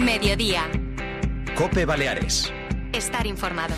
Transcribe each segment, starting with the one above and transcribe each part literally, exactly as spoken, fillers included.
Mediodía. COPE Baleares. Estar informado.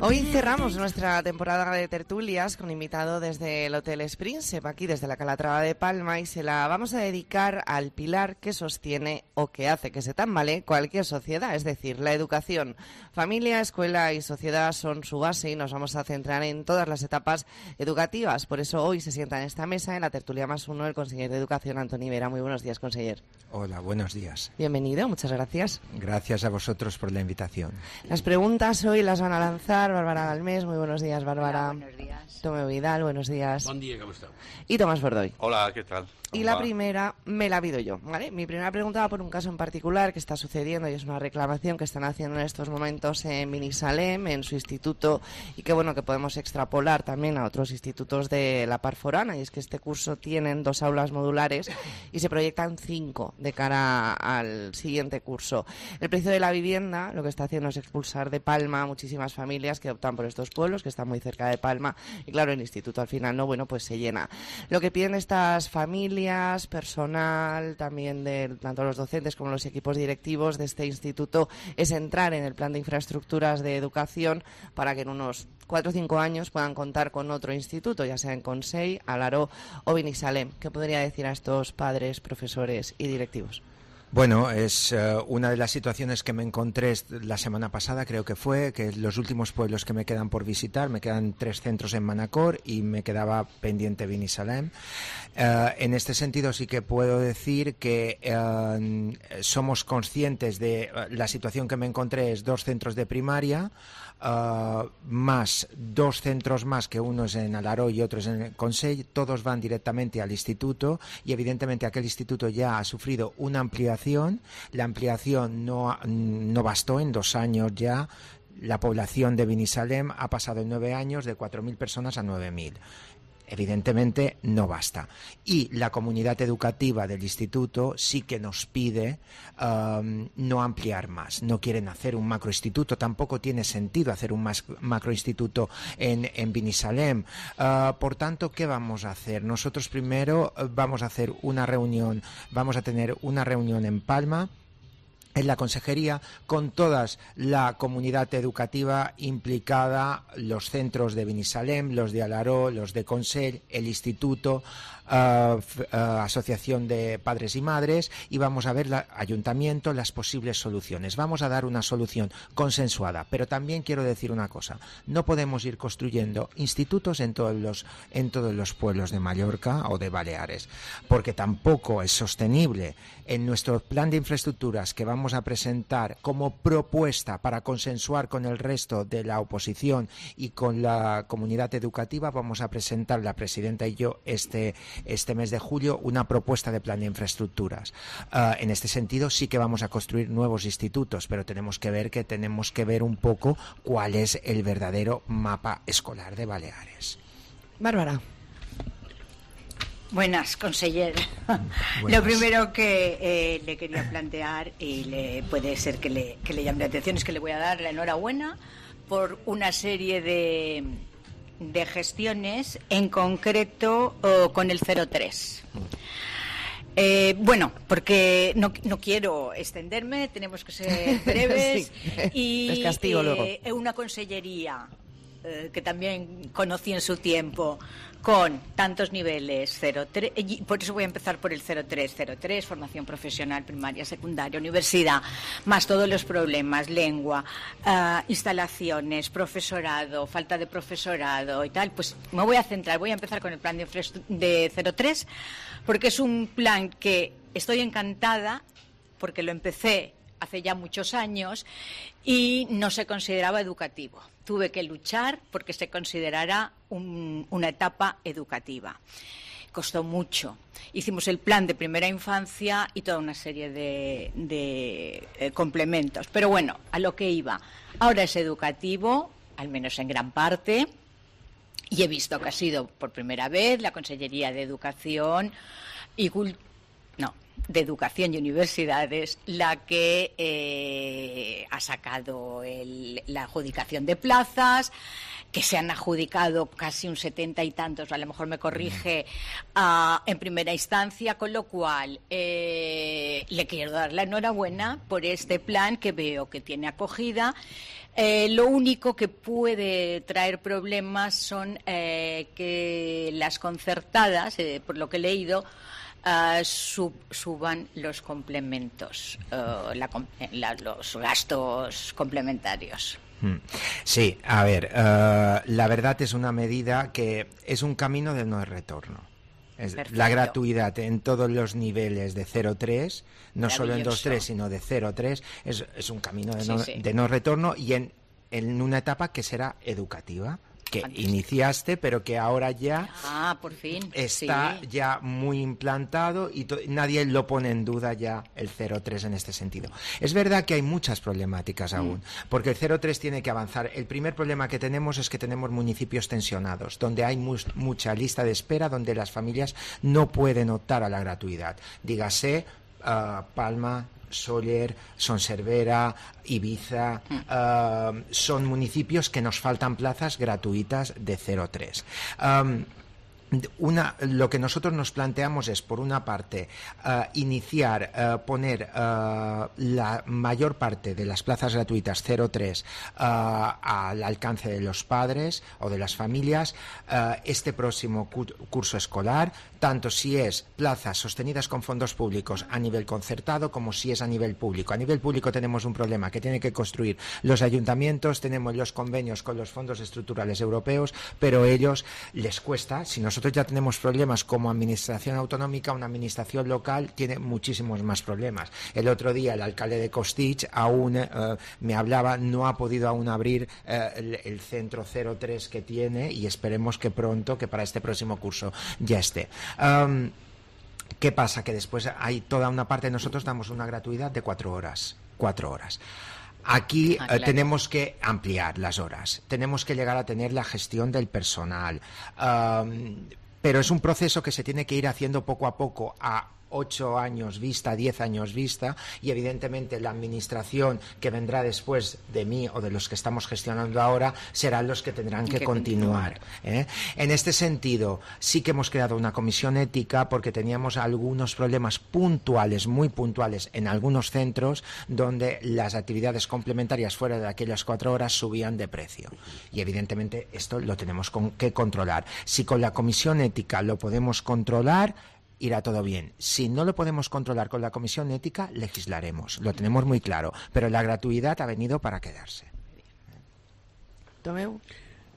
Hoy cerramos nuestra temporada de tertulias con invitado desde el Hotel Springsep, aquí desde la Calatrava de Palma, y se la vamos a dedicar al pilar que sostiene o que hace que se tambalee cualquier sociedad, es decir, la educación. Familia, escuela y sociedad son su base y nos vamos a centrar en todas las etapas educativas. Por eso hoy se sienta en esta mesa, en la tertulia más uno, el conseller de Educación, Antoni Vera. Muy buenos días, conseller. Hola, buenos días. Bienvenido, muchas gracias. Gracias a vosotros por la invitación. Las preguntas hoy las van a lanzar Bárbara Galmés. Muy buenos días, Bárbara. Hola, buenos días. Tomeu Vidal, buenos días. Buen día, ¿cómo está? Y Tomás Bordoy. Hola, ¿qué tal? Y la primera me la pido yo, ¿vale? Mi primera pregunta va por un caso en particular que está sucediendo y es una reclamación que están haciendo en estos momentos en Binissalem, en su instituto, y que bueno, que podemos extrapolar también a otros institutos de la Part Forana, y es que este curso tienen dos aulas modulares y se proyectan cinco de cara al siguiente curso. El precio de la vivienda lo que está haciendo es expulsar de Palma a muchísimas familias que optan por estos pueblos, que están muy cerca de Palma, y claro, el instituto al final no, bueno, pues se llena. Lo que piden estas familias, personal, también de tanto los docentes como los equipos directivos de este instituto, es entrar en el plan de infraestructuras de educación para que en unos cuatro o cinco años puedan contar con otro instituto, ya sea en Consell, Alaró o Binissalem. ¿Qué podría decir a estos padres, profesores y directivos? Bueno, es uh, una de las situaciones que me encontré la semana pasada, creo que fue, que los últimos pueblos que me quedan por visitar, me quedan tres centros en Manacor y me quedaba pendiente Binissalem. Uh, en este sentido sí que puedo decir que uh, somos conscientes de uh, la situación que me encontré, es dos centros de primaria, Uh, más dos centros más, que uno es en Alaró y otro es en Consell, todos van directamente al instituto y evidentemente aquel instituto ya ha sufrido una ampliación. La ampliación no, no bastó, en dos años ya la población de Binissalem ha pasado en nueve años de cuatro mil personas a nueve mil. Evidentemente no basta. Y la comunidad educativa del instituto sí que nos pide um, no ampliar más. No quieren hacer un macroinstituto, tampoco tiene sentido hacer un mas- macroinstituto en, en Binissalem. Uh, por tanto, ¿qué vamos a hacer? Nosotros primero uh, vamos a hacer una reunión, vamos a tener una reunión en Palma, en la consejería, con toda la comunidad educativa implicada, los centros de Binissalem, los de Alaró, los de Consell, el instituto, uh, uh, asociación de padres y madres, y vamos a ver, la, ayuntamiento, las posibles soluciones. Vamos a dar una solución consensuada, pero también quiero decir una cosa: no podemos ir construyendo institutos en todos los, en todos los pueblos de Mallorca o de Baleares, porque tampoco es sostenible. En nuestro plan de infraestructuras que vamos a presentar como propuesta para consensuar con el resto de la oposición y con la comunidad educativa, vamos a presentar, la presidenta y yo, este, este mes de julio, una propuesta de plan de infraestructuras. Uh, en este sentido sí que vamos a construir nuevos institutos, pero tenemos que ver que tenemos que ver un poco cuál es el verdadero mapa escolar de Baleares. Bárbara. Buenas, conseller. Buenas. Lo primero que eh, le quería plantear, y le, puede ser que le, que le llame la atención, es que le voy a dar la enhorabuena por una serie de, de gestiones, en concreto oh, con el cero tres. Eh, bueno, porque no, no quiero extenderme, tenemos que ser breves. Sí. Y Les castigo luego. Eh, una consellería eh, que también conocí en su tiempo, con tantos niveles, cero tres, por eso voy a empezar por el cero tres, cero tres, formación profesional, primaria, secundaria, universidad, más todos los problemas, lengua, uh, instalaciones, profesorado, falta de profesorado y tal. Pues me voy a centrar, voy a empezar con el plan de, de cero tres, porque es un plan que estoy encantada, porque lo empecé hace ya muchos años y no se consideraba educativo. Tuve que luchar porque se considerara un, una etapa educativa. Costó mucho. Hicimos el plan de primera infancia y toda una serie de, de eh, complementos. Pero bueno, a lo que iba. Ahora es educativo, al menos en gran parte, y he visto que ha sido por primera vez la Consellería de Educación y Cultura, no, de Educación y Universidades la que eh, ha sacado el, la adjudicación de plazas, que se han adjudicado casi un setenta y tantos, a lo mejor me corrige, uh, en primera instancia, con lo cual eh, le, le quiero dar la enhorabuena por este plan que veo que tiene acogida. Eh, lo único que puede traer problemas son eh, que las concertadas, eh, por lo que he leído, uh, sub, suban los complementos, uh, la, la, los gastos complementarios. Sí, a ver, uh, la verdad es una medida que es un camino de no retorno. Es la gratuidad en todos los niveles de cero tres, no solo en dos tres, sino de cero tres, es, es un camino de no, sí, sí. de no retorno y en, en una etapa que será educativa, que Fantástico. iniciaste, pero que ahora ya ah, por fin. está sí. ya muy implantado y to- nadie lo pone en duda ya el cero tres en este sentido. Es verdad que hay muchas problemáticas mm. aún, porque el cero tres tiene que avanzar. El primer problema que tenemos es que tenemos municipios tensionados, donde hay mu- mucha lista de espera, donde las familias no pueden optar a la gratuidad. Dígase uh, Palma, Sóller, Son Servera, Ibiza, mm. uh, son municipios que nos faltan plazas gratuitas de cero tres. Um, Una, lo que nosotros nos planteamos es, por una parte, uh, iniciar, uh, poner uh, la mayor parte de las plazas gratuitas cero tres uh, al alcance de los padres o de las familias uh, este próximo cu- curso escolar, tanto si es plazas sostenidas con fondos públicos a nivel concertado como si es a nivel público. A nivel público tenemos un problema que tienen que construir los ayuntamientos, tenemos los convenios con los fondos estructurales europeos, pero a ellos les cuesta. Si nosotros ya tenemos problemas como administración autonómica, una administración local tiene muchísimos más problemas. El otro día el alcalde de Costitx aún eh, me hablaba, no ha podido aún abrir eh, el, el centro cero tres que tiene y esperemos que pronto, que para este próximo curso ya esté. Um, ¿Qué pasa? Que después hay toda una parte, nosotros damos una gratuidad de cuatro horas. Cuatro horas. Aquí ah, claro. eh, tenemos que ampliar las horas, tenemos que llegar a tener la gestión del personal, um, pero es un proceso que se tiene que ir haciendo poco a poco a ocho años vista, diez años vista, y evidentemente la administración que vendrá después de mí o de los que estamos gestionando ahora serán los que tendrán que, que continuar. ¿eh? En este sentido, sí que hemos creado una comisión ética porque teníamos algunos problemas puntuales, muy puntuales, en algunos centros donde las actividades complementarias fuera de aquellas cuatro horas subían de precio. Y evidentemente esto lo tenemos con, que controlar. Si con la comisión ética lo podemos controlar, irá todo bien. Si no lo podemos controlar con la comisión ética, legislaremos. Lo tenemos muy claro. Pero la gratuidad ha venido para quedarse. Tomeu.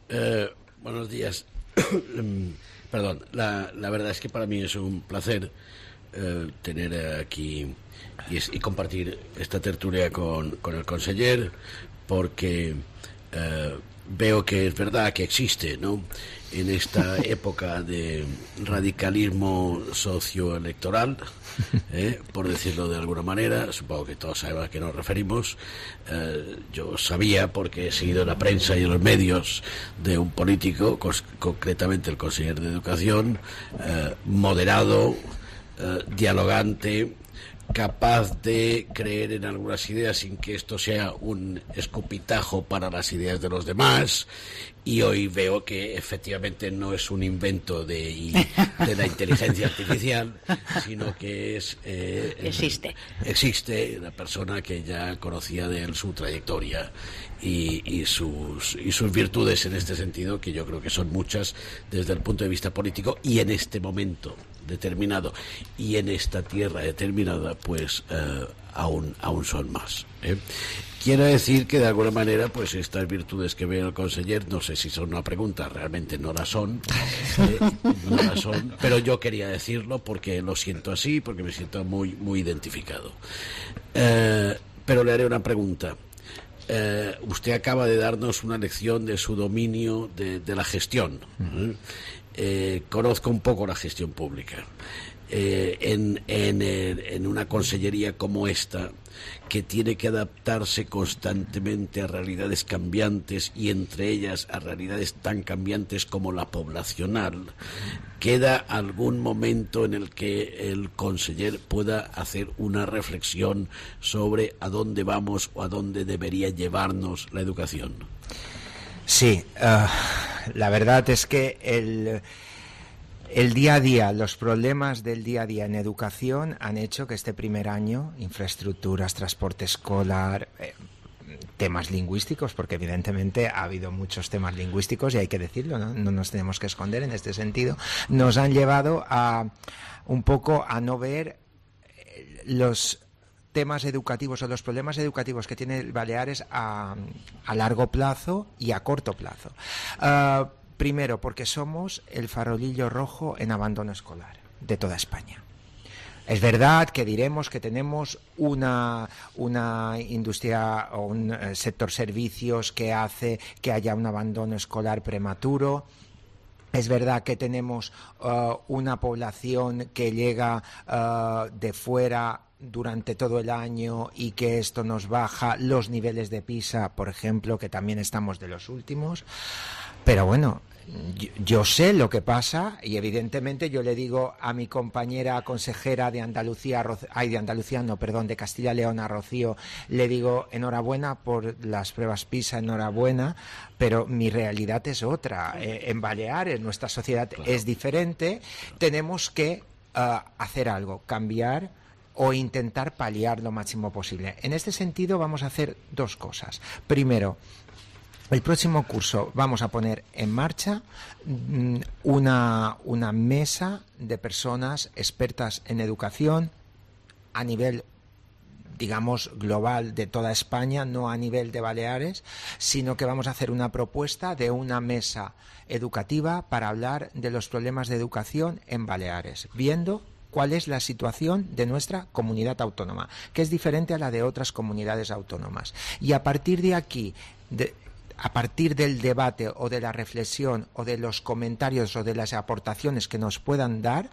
Eh, buenos días. Perdón, la, la verdad es que para mí es un placer eh, tener aquí y, es, y compartir esta tertulia con, con el conseller, porque eh, veo que es verdad que existe, ¿no?, en esta época de radicalismo socioelectoral, eh, por decirlo de alguna manera. Supongo que todos saben a qué nos referimos. Eh, yo sabía, porque he seguido la prensa y en los medios, de un político, cos- concretamente el consejero de Educación, eh, moderado, eh, dialogante, capaz de creer en algunas ideas sin que esto sea un escupitajo para las ideas de los demás. Y hoy veo que efectivamente no es un invento de, de la inteligencia artificial, sino que es eh, existe existe la persona que ya conocía de él su trayectoria y, y sus y sus virtudes en este sentido, que yo creo que son muchas desde el punto de vista político, y en este momento determinado y en esta tierra determinada, pues eh, aún aún son más. ¿eh? Quiero decir que de alguna manera, pues estas virtudes que ve el conseller, no sé si son una pregunta, realmente no la son, eh, no la son, pero yo quería decirlo porque lo siento así, porque me siento muy muy identificado. Eh, pero le haré una pregunta. Eh, usted acaba de darnos una lección de su dominio de, de la gestión. ¿eh? Eh, conozco un poco la gestión pública. Eh, en, en, en una consellería como esta, que tiene que adaptarse constantemente a realidades cambiantes, y entre ellas a realidades tan cambiantes como la poblacional, ¿queda algún momento en el que el conseller pueda hacer una reflexión sobre a dónde vamos o a dónde debería llevarnos la educación? Sí, uh, la verdad es que el... El día a día, los problemas del día a día en educación han hecho que este primer año, infraestructuras, transporte escolar, eh, temas lingüísticos, porque evidentemente ha habido muchos temas lingüísticos y hay que decirlo, ¿no? No nos tenemos que esconder en este sentido, nos han llevado a un poco a no ver los temas educativos o los problemas educativos que tiene Baleares a, a largo plazo y a corto plazo. Uh, primero, porque somos el farolillo rojo en abandono escolar de toda España. Es verdad que diremos que tenemos una, una industria o un eh, sector servicios que hace que haya un abandono escolar prematuro. Es verdad que tenemos uh, una población que llega uh, de fuera durante todo el año y que esto nos baja los niveles de PISA, por ejemplo, que también estamos de los últimos. Pero bueno, yo, yo sé lo que pasa y evidentemente yo le digo a mi compañera consejera de Andalucía, ay, de Andalucía no, perdón, de Castilla y León, a Rocío, le digo enhorabuena por las pruebas PISA, enhorabuena, pero mi realidad es otra. Eh, en Baleares nuestra sociedad claro. es diferente, tenemos que uh, hacer algo, cambiar o intentar paliar lo máximo posible. En este sentido vamos a hacer dos cosas. Primero, el próximo curso vamos a poner en marcha una, una mesa de personas expertas en educación a nivel, digamos, global de toda España, no a nivel de Baleares, sino que vamos a hacer una propuesta de una mesa educativa para hablar de los problemas de educación en Baleares, viendo cuál es la situación de nuestra comunidad autónoma, que es diferente a la de otras comunidades autónomas. Y a partir de aquí, de, a partir del debate o de la reflexión o de los comentarios o de las aportaciones que nos puedan dar,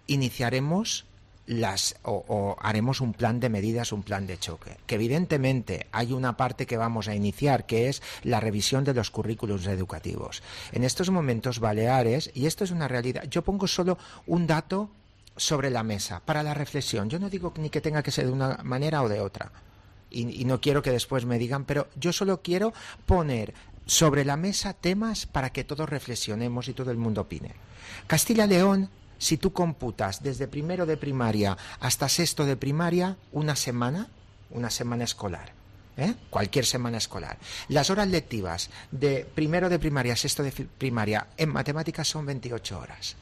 iniciaremos las o, o haremos un plan de medidas, un plan de choque. Que evidentemente hay una parte que vamos a iniciar, que es la revisión de los currículos educativos. En estos momentos Baleares, y esto es una realidad, yo pongo solo un dato sobre la mesa para la reflexión. Yo no digo ni que tenga que ser de una manera o de otra. Y, y no quiero que después me digan, pero yo solo quiero poner sobre la mesa temas para que todos reflexionemos y todo el mundo opine. Castilla y León, si tú computas desde primero de primaria hasta sexto de primaria, una semana, una semana escolar, ¿eh? Cualquier semana escolar. Las horas lectivas de primero de primaria a sexto de primaria en matemáticas son veintiocho horas.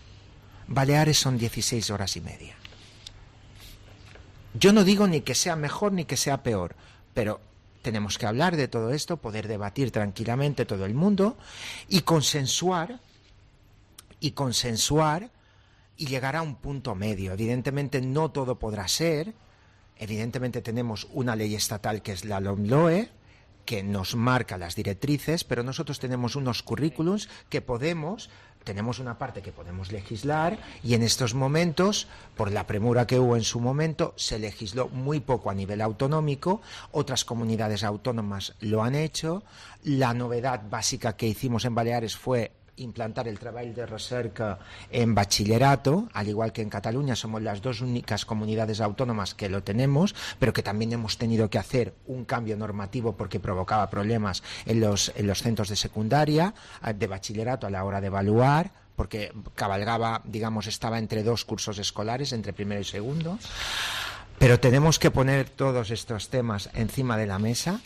Baleares son dieciséis horas y media. Yo no digo ni que sea mejor ni que sea peor, pero tenemos que hablar de todo esto, poder debatir tranquilamente todo el mundo y consensuar y consensuar y llegar a un punto medio. Evidentemente no todo podrá ser, evidentemente tenemos una ley estatal que es la LOMLOE, que nos marca las directrices, pero nosotros tenemos unos currículums que podemos, tenemos una parte que podemos legislar y en estos momentos, por la premura que hubo en su momento, se legisló muy poco a nivel autonómico, otras comunidades autónomas lo han hecho, la novedad básica que hicimos en Baleares fue implantar el treball de recerca en bachillerato, al igual que en Cataluña somos las dos únicas comunidades autónomas que lo tenemos, pero que también hemos tenido que hacer un cambio normativo porque provocaba problemas en los, en los centros de secundaria, de bachillerato a la hora de evaluar, porque cabalgaba, digamos, estaba entre dos cursos escolares, entre primero y segundo. Pero tenemos que poner todos estos temas encima de la mesa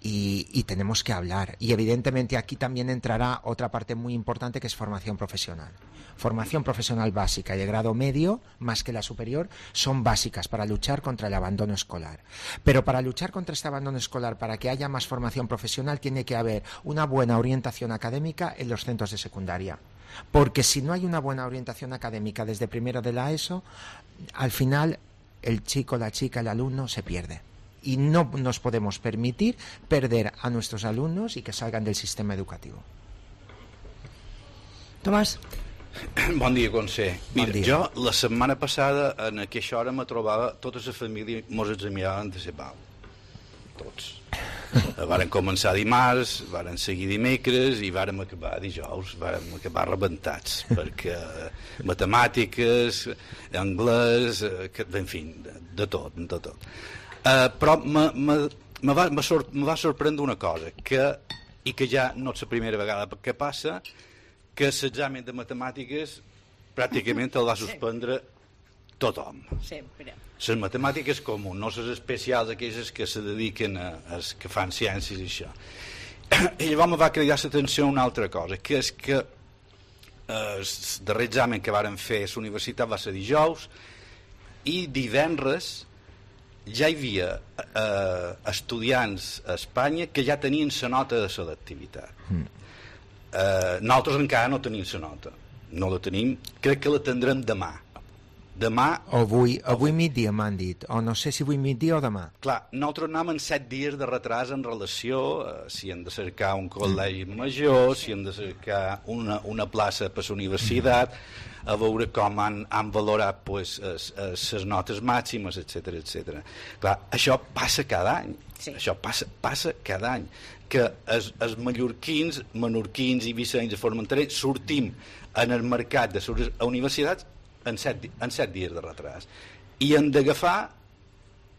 Y, y tenemos que hablar. Y evidentemente aquí también entrará otra parte muy importante que es formación profesional. Formación profesional básica y de grado medio, más que la superior, son básicas para luchar contra el abandono escolar. Pero para luchar contra este abandono escolar, para que haya más formación profesional, tiene que haber una buena orientación académica en los centros de secundaria. Porque si no hay una buena orientación académica desde primero de la ESO, al final el chico, la chica, el alumno se pierde. Y no nos podemos permitir perder a nuestros alumnos y que salgan del sistema educativo. Tomàs. Bon dia, conseller. Mira, bon dia. Jo la setmana passada en aquesta hora me trobava tota la família mos examinaven de Cepal. Tots. Varen començar dimarts, varen seguir dimecres i vàrem acabar dijous, vàrem acabar rebentats, perquè matemàtiques, anglès, en fi, de tot, de tot. Uh, però me, me, me, va, me, sor, me va sorprendre una cosa que, i que ja no és la primera vegada que passa, que l'examen de matemàtiques pràcticament el va suspendre tothom. Sempre. Les matemàtiques comunes, no les especials, aquelles que se dediquen a, a que fan ciències i això. I llavors me va cridar l'atenció una altra cosa, que és que eh, el darrer examen que varen fer a la universitat va ser dijous, i divendres ja hi havia eh, estudiants a Espanya que ja tenien la nota de selectivitat. Mm. Eh, nosaltres encara no tenim la nota, no la tenim, crec que la tindrem demà. Demà... O avui, avui migdia m'han dit, o no sé si avui migdia o demà. Clar, nosaltres anem en set dies de retras en relació a si hem de cercar un col·legi major, si hem de cercar una, una plaça per la universitat, a veure com han, han valorat pues, les notes màximes, etcètera, etcètera. Clar, això passa cada any, sí. Això passa, passa cada any, que els, els mallorquins, menorquins i vicencs de Formentera sortim en el mercat de les universitats en set, en set dies de retras i hem d'agafar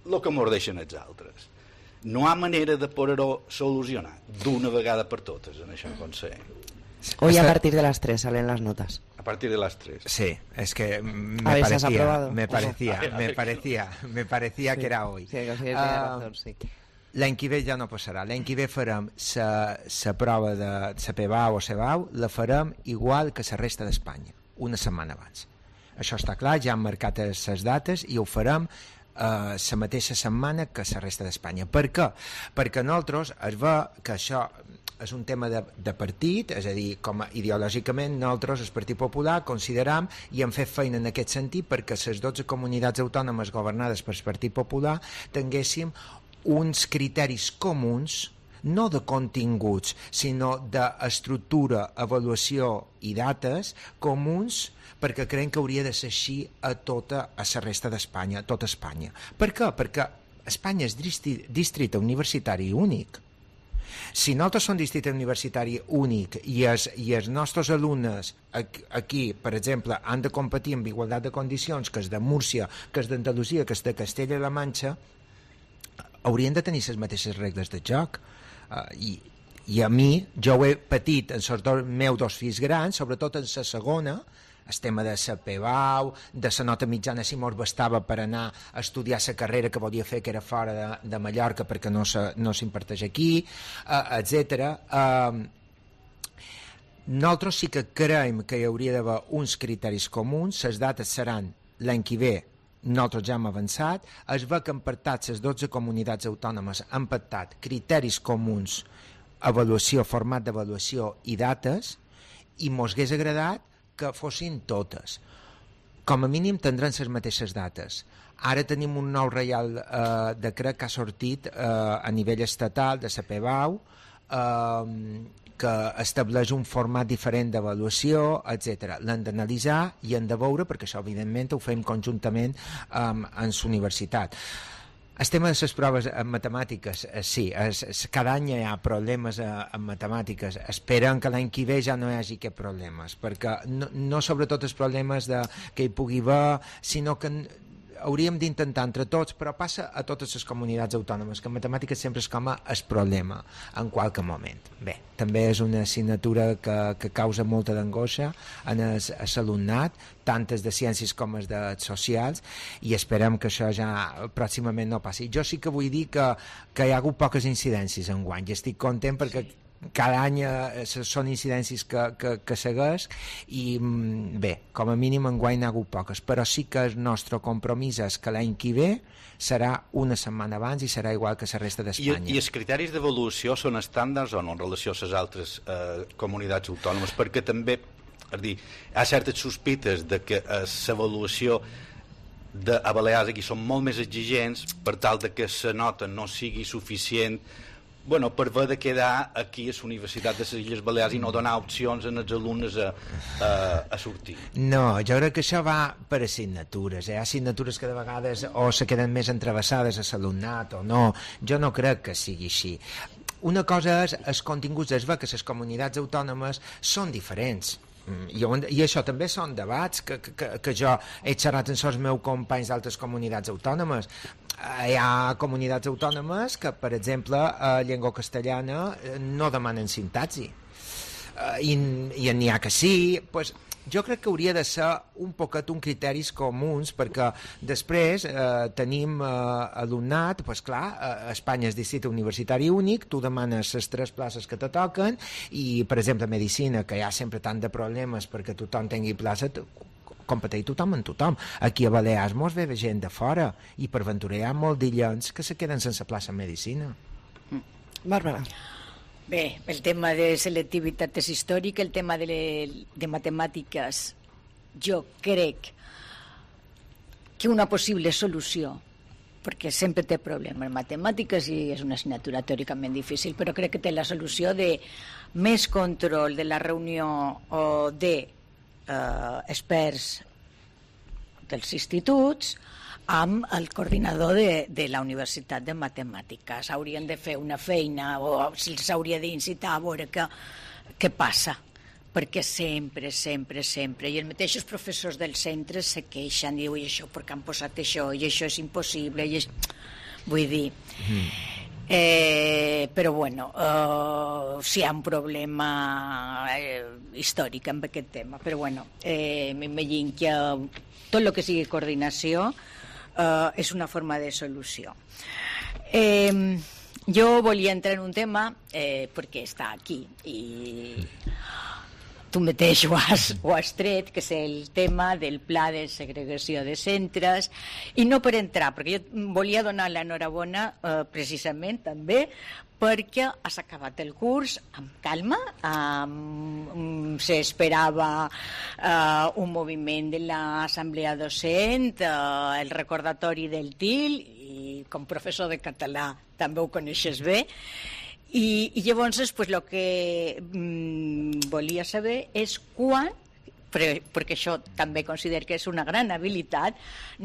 el que ens deixen els altres. No hi ha manera de poder-ho solucionar d'una vegada per totes en això, conseller. Hoy a partir de las tres salen las notas. A partir de las tres. Sí, es que me parecía, me parecía, me parecía, me parecía sí, que era hoy. Sí, que sí, uh, razón, sí. L'any que ve ja no passarà. L'any que ve farem la prova de la P B A o C B A U, la farem igual que la resta d'Espanya, una setmana abans. Això està clar, ja han marcat les dates i ho farem la eh, mateixa setmana que la resta d'Espanya. Per què? Perquè nosaltres es ve que això és un tema de, de partit, és a dir, com a, ideològicament nosaltres, el Partit Popular, consideram i hem fet feina en aquest sentit perquè les dotze comunitats autònomes governades pel Partit Popular tinguéssim uns criteris comuns, no de continguts, sinó d'estructura, avaluació i dates comuns, perquè creiem que hauria de ser així a tota a la resta d'Espanya, a tota Espanya. Per què? Perquè Espanya és districte universitari únic. Si nosaltres som districte universitari únic i els, i els nostres alumnes aquí, per exemple, han de competir en igualtat de condicions que és de Múrcia, que és d'Andalusia, que és de Castella-La Manxa, haurien de tenir les mateixes regles de joc. Uh, i, I a mi, jo ho he patit en els dos, meus dos fills grans, sobretot en la segona, el tema de la P B A U, de la nota mitjana si mos bastava per anar a estudiar la carrera que volia fer, que era fora de, de Mallorca perquè no s'imparteix no aquí, uh, etcètera. Uh, nosaltres sí que creiem que hi hauria d'haver uns criteris comuns, les dates seran l'any que ve, nosaltres ja hem avançat, es va que han pactat les dotze comunitats autònomes, han pactat criteris comuns, avaluació, format d'avaluació i dates, i mos hagués agradat que fossin totes. Com a mínim tindran les mateixes dates. Ara tenim un nou reial eh, decret que ha sortit eh, a nivell estatal de la P B A U eh, que estableix un format diferent d'avaluació, etcètera. L'hem d'analitzar i hem de veure, perquè això evidentment ho fem conjuntament um, en la universitat. El tema de les proves en matemàtiques, eh, sí, es, es, cada any hi ha problemes eh, en matemàtiques. Esperem que l'any que ve ja no hi hagi aquests problemes, perquè no, no sobretot els problemes de, que hi pugui haver, sinó que hauríem d'intentar entre tots, però passa a totes les comunitats autònomes, que en matemàtiques sempre és com a el problema en qualque moment. Bé, també és una assignatura que, que causa molta d'angoixa en l'alumnat, tantes de ciències com les de socials, i esperem que això ja pròximament no passi. Jo sí que vull dir que, que hi ha hagut poques incidències enguany, i estic content perquè sí. Cada any eh, són incidències que, que, que segueix i bé, com a mínim enguany n'ha hagut poques, però sí que el nostre compromís és que l'any que ve serà una setmana abans i serà igual que la resta d'Espanya. I, I els criteris d'avaluació són estàndards o no en relació a les altres eh, comunitats autònomes? Perquè també, és dir, hi ha certes sospites de que eh, l'avaluació de, a Balears aquí són molt més exigents per tal de que la nota no sigui suficient bueno, per haver de quedar aquí a la Universitat de les Illes Balears i no donar opcions als alumnes a, a, a sortir. No, jo crec que això va per assignatures. Hi ha assignatures que de vegades o se queden més entrevessades a l'alumnat o no. Jo no crec que sigui així. Una cosa és els continguts, es ve que les comunitats autònomes són diferents. I, i això també són debats que, que, que jo he xerrat amb els meus companys d'altres comunitats autònomes. Hi ha comunitats autònomes que, per exemple, a llengua castellana no demanen sintaxi. i, i n'hi ha que sí, pues, jo crec que hauria de ser un poquet un criteris comuns, perquè després eh, tenim eh, alumnat, pues clar, a Espanya és districte universitari únic, tu demanes les tres places que te toquen i, per exemple, medicina, que hi ha sempre tant de problemes perquè tothom tingui plaça, competeix tothom amb tothom. Aquí a Balears mos ve gent de fora i per ventura hi ha molts d'illons que se queden sense plaça en medicina. Bàrbara. Bé, el tema de selectivitat és històric, el tema de, de matemàtiques, jo crec que una possible solució, perquè sempre té problemes matemàtiques i és una assignatura teòricament difícil, però crec que té la solució de més control de la reunió o de eh, experts dels instituts amb el coordinador de, de la Universitat de Matemàtiques. Haurien de fer una feina o s'hauria d'incitar a veure què, què passa, perquè sempre, sempre, sempre, i els mateixos professors dels centres se queixen, diuen, i això, perquè han posat això, i això és impossible, i és... vull dir... Mm. Eh, però bueno, eh, sí hi ha un problema eh, històric amb aquest tema, però bueno, eh, m'imagino que tot el que sigui coordinació Uh, és una forma de solució. Eh, jo volia entrar en un tema eh, perquè està aquí i tu mateix ho has, ho has tret, que és el tema del pla de segregació de centres, i no per entrar, perquè jo volia donar l'enhorabona eh, precisament també perquè has acabat el curs amb calma, um, s'esperava uh, un moviment de l'assemblea docent, uh, el recordatori del T I L, i com professor de català també ho coneixes bé, i, i llavors pues, el que um, volia saber és quan, perquè això també considero que és una gran habilitat,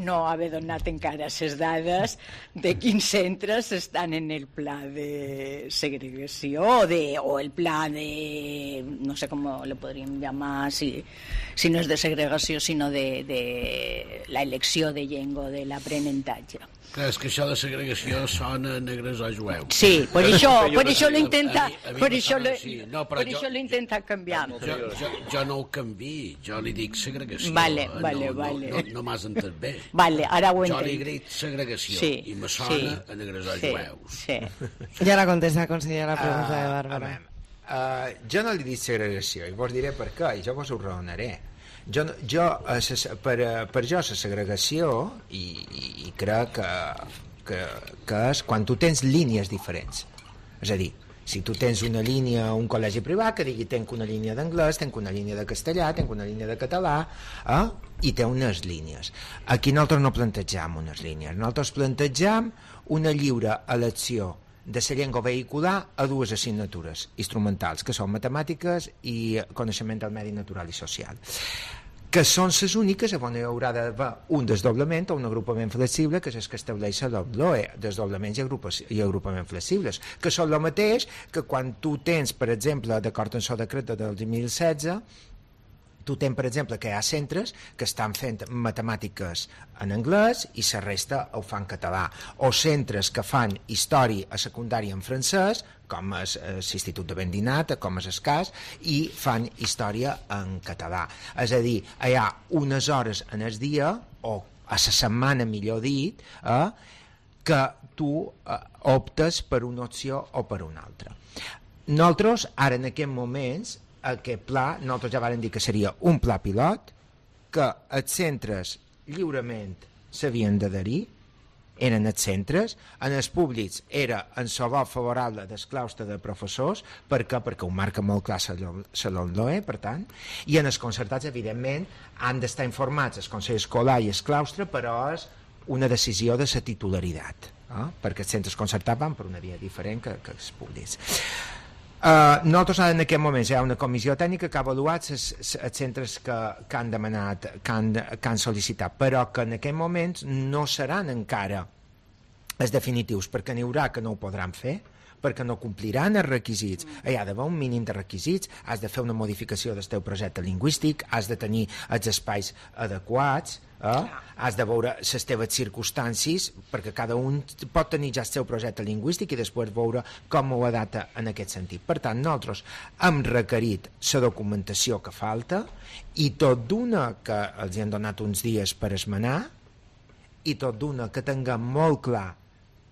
no haver donat encara les dades de quins centres estan en el pla de segregació o, de, o el pla de, no sé com lo podríem llamar, si, si no és de segregació, sinó de, de la elecció de llengua, de l'aprenentatge. Clar, és que això de segregació sona negres o jueus. Sí, per això, per això lo intenta, per això lo, no, per això lo intenta canviar. Jo, jo, jo no ho canvi, jo li dic segregació. Vale, vale, no, vale. No, no, no m'has entès bé. Vale, ara ho entenc. Jo li dic segregació sí, i me sona sí, a negres o sí, jueus. Sí. Ja la contesta, consellera, la pregunta uh, de Bàrbara. Uh, jo no li dic segregació i vos diré per què, i jo vos ho raonaré. Jo, jo, per, per jo la segregació i, i, i crec que, que, que és quan tu tens línies diferents, és a dir, si tu tens una línia a un col·legi privat que digui tenc una línia d'anglès, tenc una línia de castellà, tenc una línia de català, eh? I té unes línies. Aquí nosaltres no plantegem unes línies, nosaltres plantegem una lliure elecció de la llengua vehicular a dues assignatures instrumentals, que són matemàtiques i coneixement del medi natural i social, que són les úniques on hi haurà d'haver un desdoblament o un agrupament flexible, que és el que estableix la L O E, desdoblaments i, i agrupaments flexibles, que són el mateix que quan tu tens, per exemple, d'acord amb el decret del dos mil setze, tu tens, per exemple, que hi ha centres que estan fent matemàtiques en anglès i la resta ho fan en català, o centres que fan història a secundària en francès, com és l'Institut de Vendinat, com és el cas, i fan història en català. És a dir, hi ha unes hores en el dia, o a la setmana, millor dit, eh, que tu eh, optes per una opció o per una altra. Nosaltres, ara en aquests moments, aquest pla, nosaltres ja vam dir que seria un pla pilot, que els centres lliurement s'havien d'adherir, eren els centres, en els públics era en la vot favorable del claustre de professors, per què? Perquè ho marca molt clar la L O E, per tant, i en els concertats, evidentment, han d'estar informats el Consell Escolar i el claustre, però és una decisió de la titularitat, eh? Perquè els centres concertats van per una via diferent que, que els públics. Uh, nosaltres en aquest moment hi ha una comissió tècnica que ha avaluat els centres que, que han demanat, que han, que han sol·licitat, però que en aquest moment no seran encara els definitius, perquè n'hi haurà que no ho podran fer, perquè no compliran els requisits. Hi ha d'haver un mínim de requisits, has de fer una modificació del teu projecte lingüístic, has de tenir els espais adequats, eh? has de veure les teves circumstàncies, perquè cada un pot tenir ja el seu projecte lingüístic i després veure com ho adapta en aquest sentit. Per tant, nosaltres hem requerit la documentació que falta i tot d'una que els han donat uns dies per esmenar i tot d'una que tinguem molt clar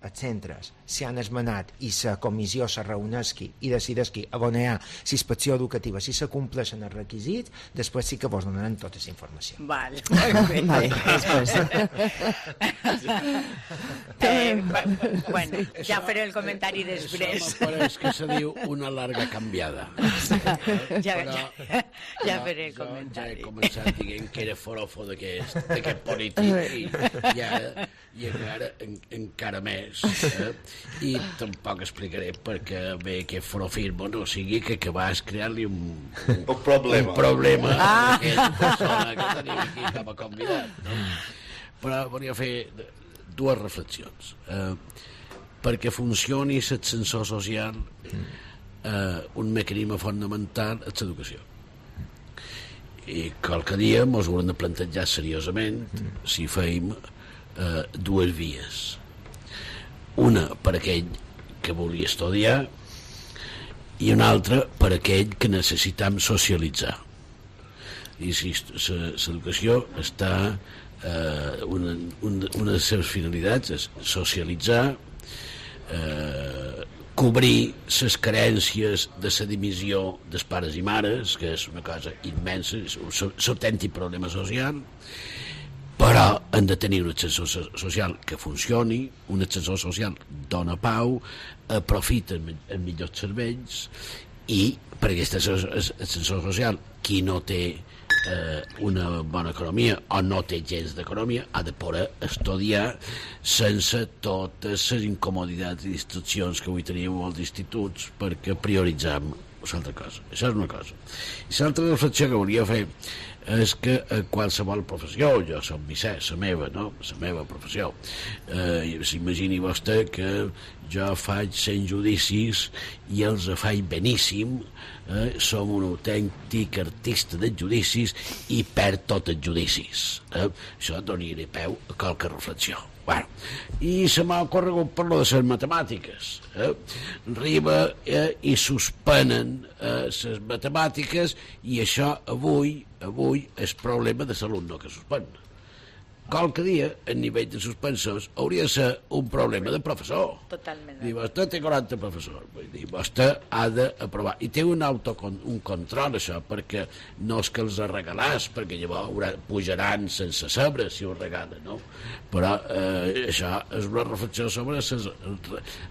els centres si han esmenat i la comissió se reuneixi i decideixi abonar la inspecció educativa si se compleixen els requisits, després sí que vos donaran tota la informació. Vale, vale. Vale, després. eh, bueno, ja faré el comentari després. Això m'apareix que se diu una larga canviada. ja, Però, ja, ja faré el jo comentari. ja he començat dient que era forofo d'aquest polític i, i ara, i encara, en, encara més. Eh? I tampoc explicaré perquè bé aquest forofisme no sigui que acabàs creant-li un, un, un problema, un problema ah. a aquesta persona que tenim aquí com a convidat, no? Però volia fer dues reflexions. Eh, perquè funcioni l'ascensor social, eh, un mecanisme fonamental és l'educació. I qualque dia ens haurem de plantejar seriosament si feim eh, dues vies. Una per aquell que volia estudiar i una altra per aquell que necessitam socialitzar. I si l'educació està eh, una, una, una de les seves finalitats és socialitzar, eh, cobrir les carències de la dimissió dels pares i mares, que és una cosa immensa, és un autèntic problema social, però hem de tenir un ascensor social que funcioni, un ascensor social dona pau, aprofita els millors serveis i per aquest ascensor social qui no té eh, una bona economia o no té gens d'economia ha de poder estudiar sense totes les incomoditats i distraccions que avui tenim als instituts perquè prioritzam l'altra cosa. Això és una cosa. I l'altra reflexió que volia fer és que a qualsevol professió, jo som Vicè, la meva, no? La meva professió. Eh, S'imagini vostè que jo faig cent judicis i els faig beníssim, eh, som un autèntic artista de judicis i perd tots els judicis. Eh? Això donaria peu a qualque reflexió. Bueno, i se m'ha ocorregut per lo de les matemàtiques. Eh? Arriba eh, i suspenen les eh, matemàtiques i això avui avui és problema de l'alumne que suspèn. Qualque dia, a nivell de suspensos, hauria de ser un problema de professor. Totalment. Diu, vostè té quaranta professors. Vull dir, vostè ha d'aprovar. I té un, autocon, un control, això, perquè no és que els regalàs, perquè llavors pujaran sense saber si ho regalen, no? Però eh, això és una reflexió sobre ses,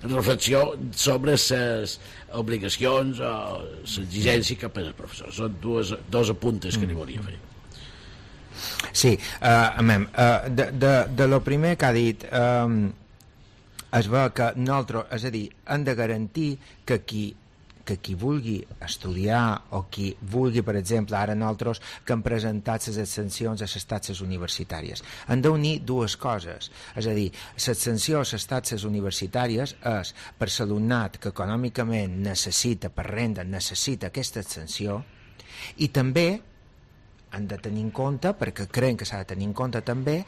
reflexió sobre les obligacions o l'exigència cap als professors. Són dues, dos apuntes que li volia fer. Sí, uh, amem, uh, de, de, de lo primer que ha dit um, es veu que nosaltres, és a dir, hem de garantir que qui, que qui vulgui estudiar o qui vulgui, per exemple, ara nosaltres que hem presentat les extensions a les taxes universitàries, hem d'unir dues coses, és a dir, l'extensió a les taxes universitàries és per l'alumnat que econòmicament necessita, per renda necessita aquesta extensió, i també han de tenir en compte, perquè creiem que s'ha de tenir en compte també,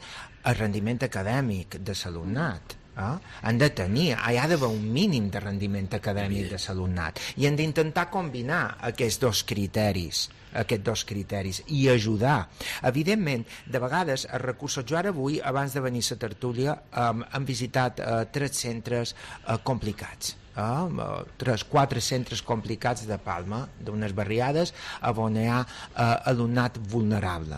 el rendiment acadèmic de l'alumnat. Eh? Han de tenir, hi ha d'haver un mínim de rendiment acadèmic de l'alumnat i han d'intentar combinar aquests dos criteris aquests dos criteris i ajudar. Evidentment, de vegades els recursos, jo ara avui, abans de venir a la tertúlia, um, hem visitat uh, tres centres uh, complicats. Uh, tres, quatre centres complicats de Palma, d'unes barriades on hi ha uh, alumnat vulnerable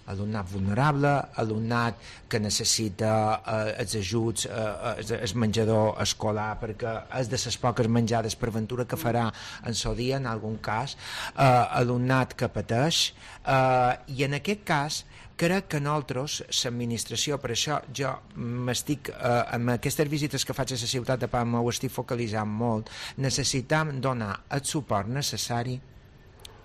alumnat vulnerable, alumnat que necessita uh, els ajuts, uh, el menjador escolar, perquè és de les poques menjades per ventura que farà en el dia, en algun cas, uh, alumnat que pateix, uh, i en aquest cas crec que nosaltres, l'administració, per això jo m'estic, eh, amb aquestes visites que faig a la ciutat de Palma ho estic focalitzant molt, necessitam donar el suport necessari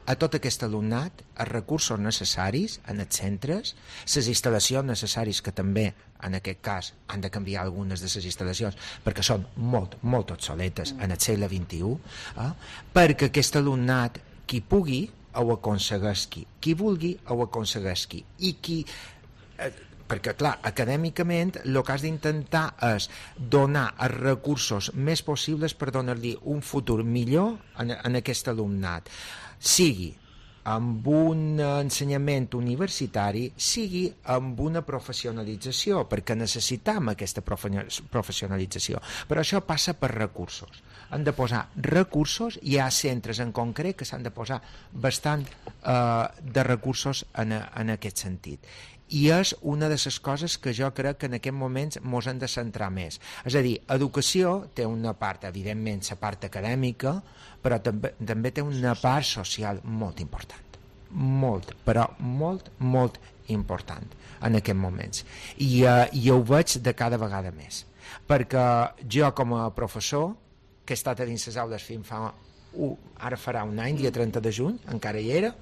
a tot aquest alumnat els recursos necessaris en els centres, les instal·lacions necessàries, que també en aquest cas han de canviar algunes de les instal·lacions perquè són molt, molt obsoletes en el segle vint-i-u, eh? perquè aquest alumnat, qui pugui, ho aconsegueixi, qui vulgui, ho aconsegueixi, i qui... Eh, perquè, clar, acadèmicament el que has d'intentar és donar els recursos més possibles per donar-li un futur millor en, en aquest alumnat, sigui amb un ensenyament universitari, sigui amb una professionalització, perquè necessitem aquesta professionalització. Però això passa per recursos. Han de posar recursos, hi ha centres en concret que s'han de posar bastant eh, de recursos en, en aquest sentit. I és una de les coses que jo crec que en aquest moment ens hem de centrar més. És a dir, educació té una part, evidentment, la part acadèmica, però també, també té una part social molt important. Molt, però molt, molt important en aquests moments. I, uh, i ho veig de cada vegada més. Perquè jo, com a professor, que he estat a dins les aules fins fa... Uh, ara farà un any, dia trenta de juny, encara hi era,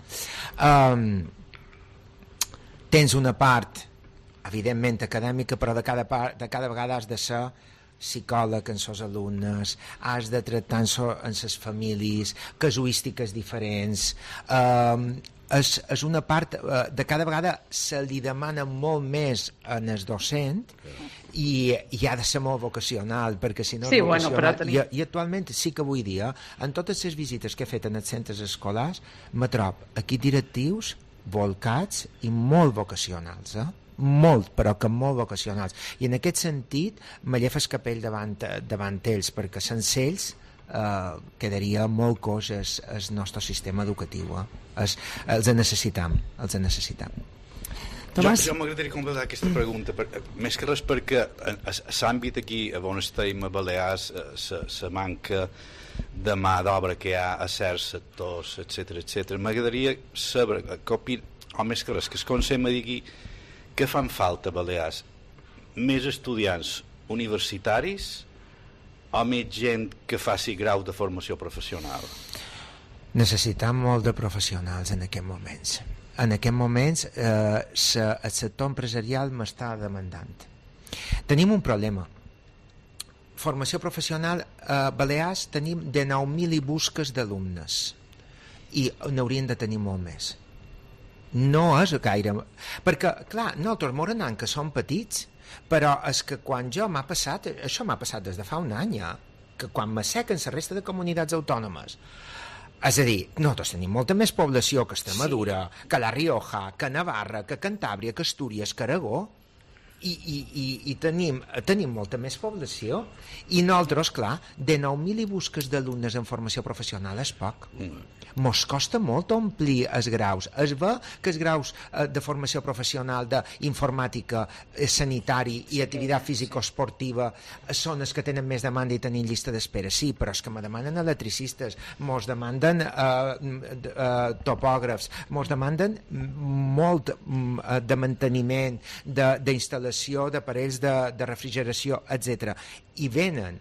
um, tens una part, evidentment, acadèmica, però de cada, part, de cada vegada has de ser psicòleg en els alumnes, has de tractar en les famílies, casuístiques diferents. Eh, és, és una part, eh, de cada vegada se li demana molt més en el docent i, i ha de ser molt vocacional, perquè si no sí, és vocacional... Bueno, tenim... I, I actualment sí que avui dia, en totes les visites que he fet en els centres escolars, me trobo aquí directius volcats i molt vocacionals, eh? molt, però que molt vocacionals, i en aquest sentit me llefa el capell davant, davant ells, perquè sense ells eh, quedaria molt coix el, el nostre sistema educatiu, eh? es, els necessitam els necessitam Tomàs? Jo, jo m'agradaria completar aquesta pregunta, per, més que res perquè s'àmbit aquí a on estem a Balears, la manca de mà d'obra que hi ha a certs sectors, etcètera, etcètera. M'agradaria saber, que opin, o més que res, que el Consell me digui què fan falta a Balears? Més estudiants universitaris o més gent que faci grau de formació professional? Necessitam molt de professionals en aquests moments. En aquests moments eh, se, el sector empresarial m'està demandant. Tenim un problema. Formació professional a Balears tenim de nou mil i busques d'alumnes i n'haurien de tenir molt més. No és gaire... Perquè, clar, nosaltres morenant que som petits, però és que quan jo m'ha passat, això m'ha passat des de fa un any, ja, que quan m'assequen la resta de comunitats autònomes, és a dir, nosaltres tenim molta més població que Extremadura, sí. que La Rioja, que Navarra, que Cantàbria, que Astúries, que Aragó, i, i, i, i tenim, tenim molta més població, i nosaltres, clar, de nou mil i busques d'alumnes en formació professional és poc. Mm. Mos costa molt omplir els graus. Es ve que els graus eh, de formació professional d'informàtica, eh, sanitari i activitat físico-esportiva són els que tenen més demanda i tenim llista d'espera. Sí, però és que me demanen electricistes, mos demanden eh, eh, topògrafs, mos demanden molt eh, de manteniment, d'instal·lació d'aparells de, de refrigeració, etcètera. I venen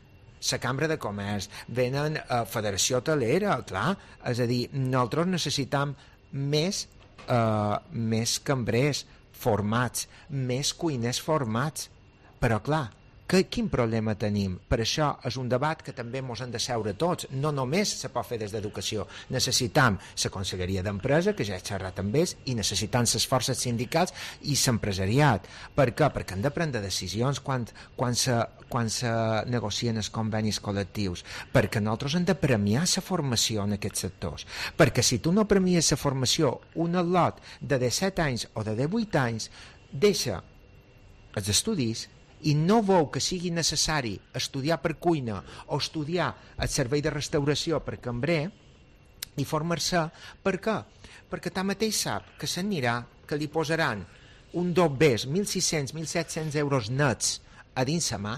la Cambra de Comerç, venen a Federació Hotelera, clar, és a dir, nosaltres necessitam més, eh, més cambrers formats, més cuiners formats, però clar, que, quin problema tenim? Per això és un debat que també ens hem de seure tots, no només se pot fer des d'educació, necessitam la Conselleria d'Empresa, que ja he xerrat amb ells, i necessitam les forces sindicals i l'empresariat. Per què? Perquè han de prendre decisions quan, quan se quan se negocien els convenis col·lectius, perquè nosaltres hem de premiar la formació en aquests sectors, perquè si tu no premies la formació, un al·lot de disset anys o de divuit anys deixa els estudis i no veu que sigui necessari estudiar per cuina o estudiar el servei de restauració per cambrer i formar-se, per què? Perquè tanmateix sap que s'anirà, que li posaran un dobbers, mil sis-cents, mil set-cents euros nets a dins sa mà,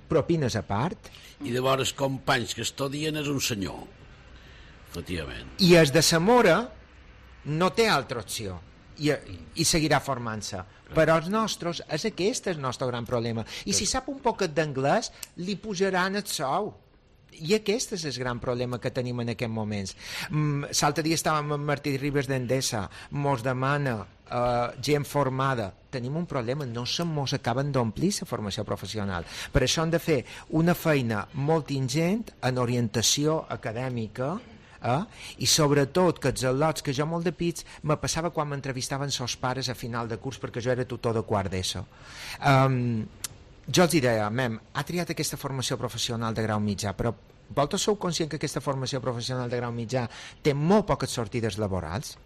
propines a part, i llavors companys que estudien és un senyor, efectivament, i es de Zamora no té altra opció i, i seguirà formant-se, però els nostres és aquest el nostre gran problema, i si sap un poquet d'anglès li pujaran el sou, I aquest és el gran problema que tenim en aquests moments. Mm, L'altre dia estàvem amb Martí Ribes d'Endesa, mos demana uh, gent formada. Tenim un problema, no se mos acaben d'omplir la formació professional. Per això hem de fer una feina molt ingent en orientació acadèmica, eh? I sobretot que els al·lots, que jo molt de pits me passava quan m'entrevistaven sos pares a final de curs, perquè jo era tutor de quart d'ESO. Um, jo els deia, mem, ha triat aquesta formació professional de grau mitjà, però vosaltres sou conscient que aquesta formació professional de grau mitjà té molt poques sortides laborals?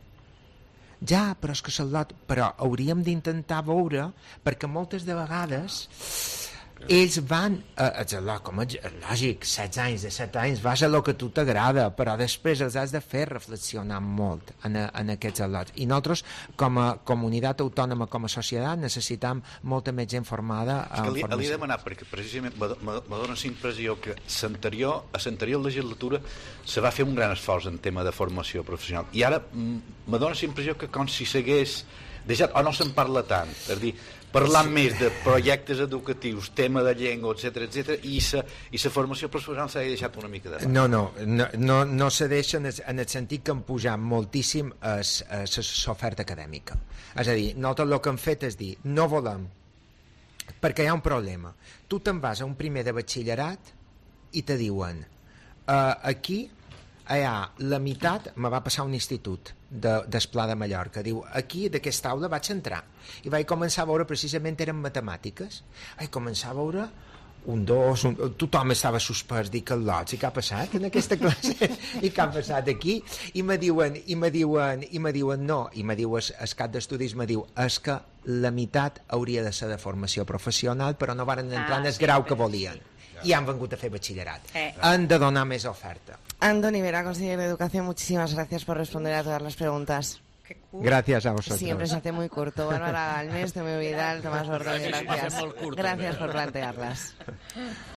Ja, però és que l'al·lot... Però hauríem d'intentar veure, perquè moltes de vegades ells van, eh, com a lògic, setze anys, de set anys, vas a lo que a tu t'agrada, però després els has de fer reflexionar molt en, en aquests al·lots. I nosaltres, com a comunitat autònoma, com a societat, necessitam molta més gent formada en formació. Li he demanat, perquè precisament me dóna la impressió que l'anterior, a l'anterior legislatura se va fer un gran esforç en tema de formació professional, i ara me dóna la impressió que com si s'hagués deixat, o no se'n parla tant, és a dir, parlant sí. més de projectes educatius, tema de llengua, etcètera, etcètera, i la i la formació professional s'ha deixat una mica de part. No, no, no, no, no se deixa en el, en el sentit que han pujat moltíssim l'oferta acadèmica. És a dir, nosaltres el que hem fet és dir, no volem, perquè hi ha un problema. Tu te'n vas a un primer de batxillerat i te diuen, uh, aquí hi ha la meitat, me va passar un institut de, d'Esplà de Mallorca, diu, aquí d'aquesta aula vaig entrar i vaig començar a veure, precisament eren matemàtiques, vaig començar a veure un dos, un, tothom estava suspès, dic, al·lots, i què ha passat en aquesta classe? I què ha passat aquí? I me diuen, i me diuen, i me diuen no, i me diu, el cap d'estudis me diu, és que la meitat hauria de ser de formació professional, però no varen entrar ah, en el sí, grau que volien. Y han vengut a fer batxillerat. Eh. Han de donar més oferta. Andoni Vera, consejero de Educación, muchísimas gracias por responder a todas las preguntas. Gracias a vosotros. Siempre se hace muy corto. Bárbara Galmés, Tomeo Vidal, Tomás Ordóñez, gracias. Gracias por plantearlas.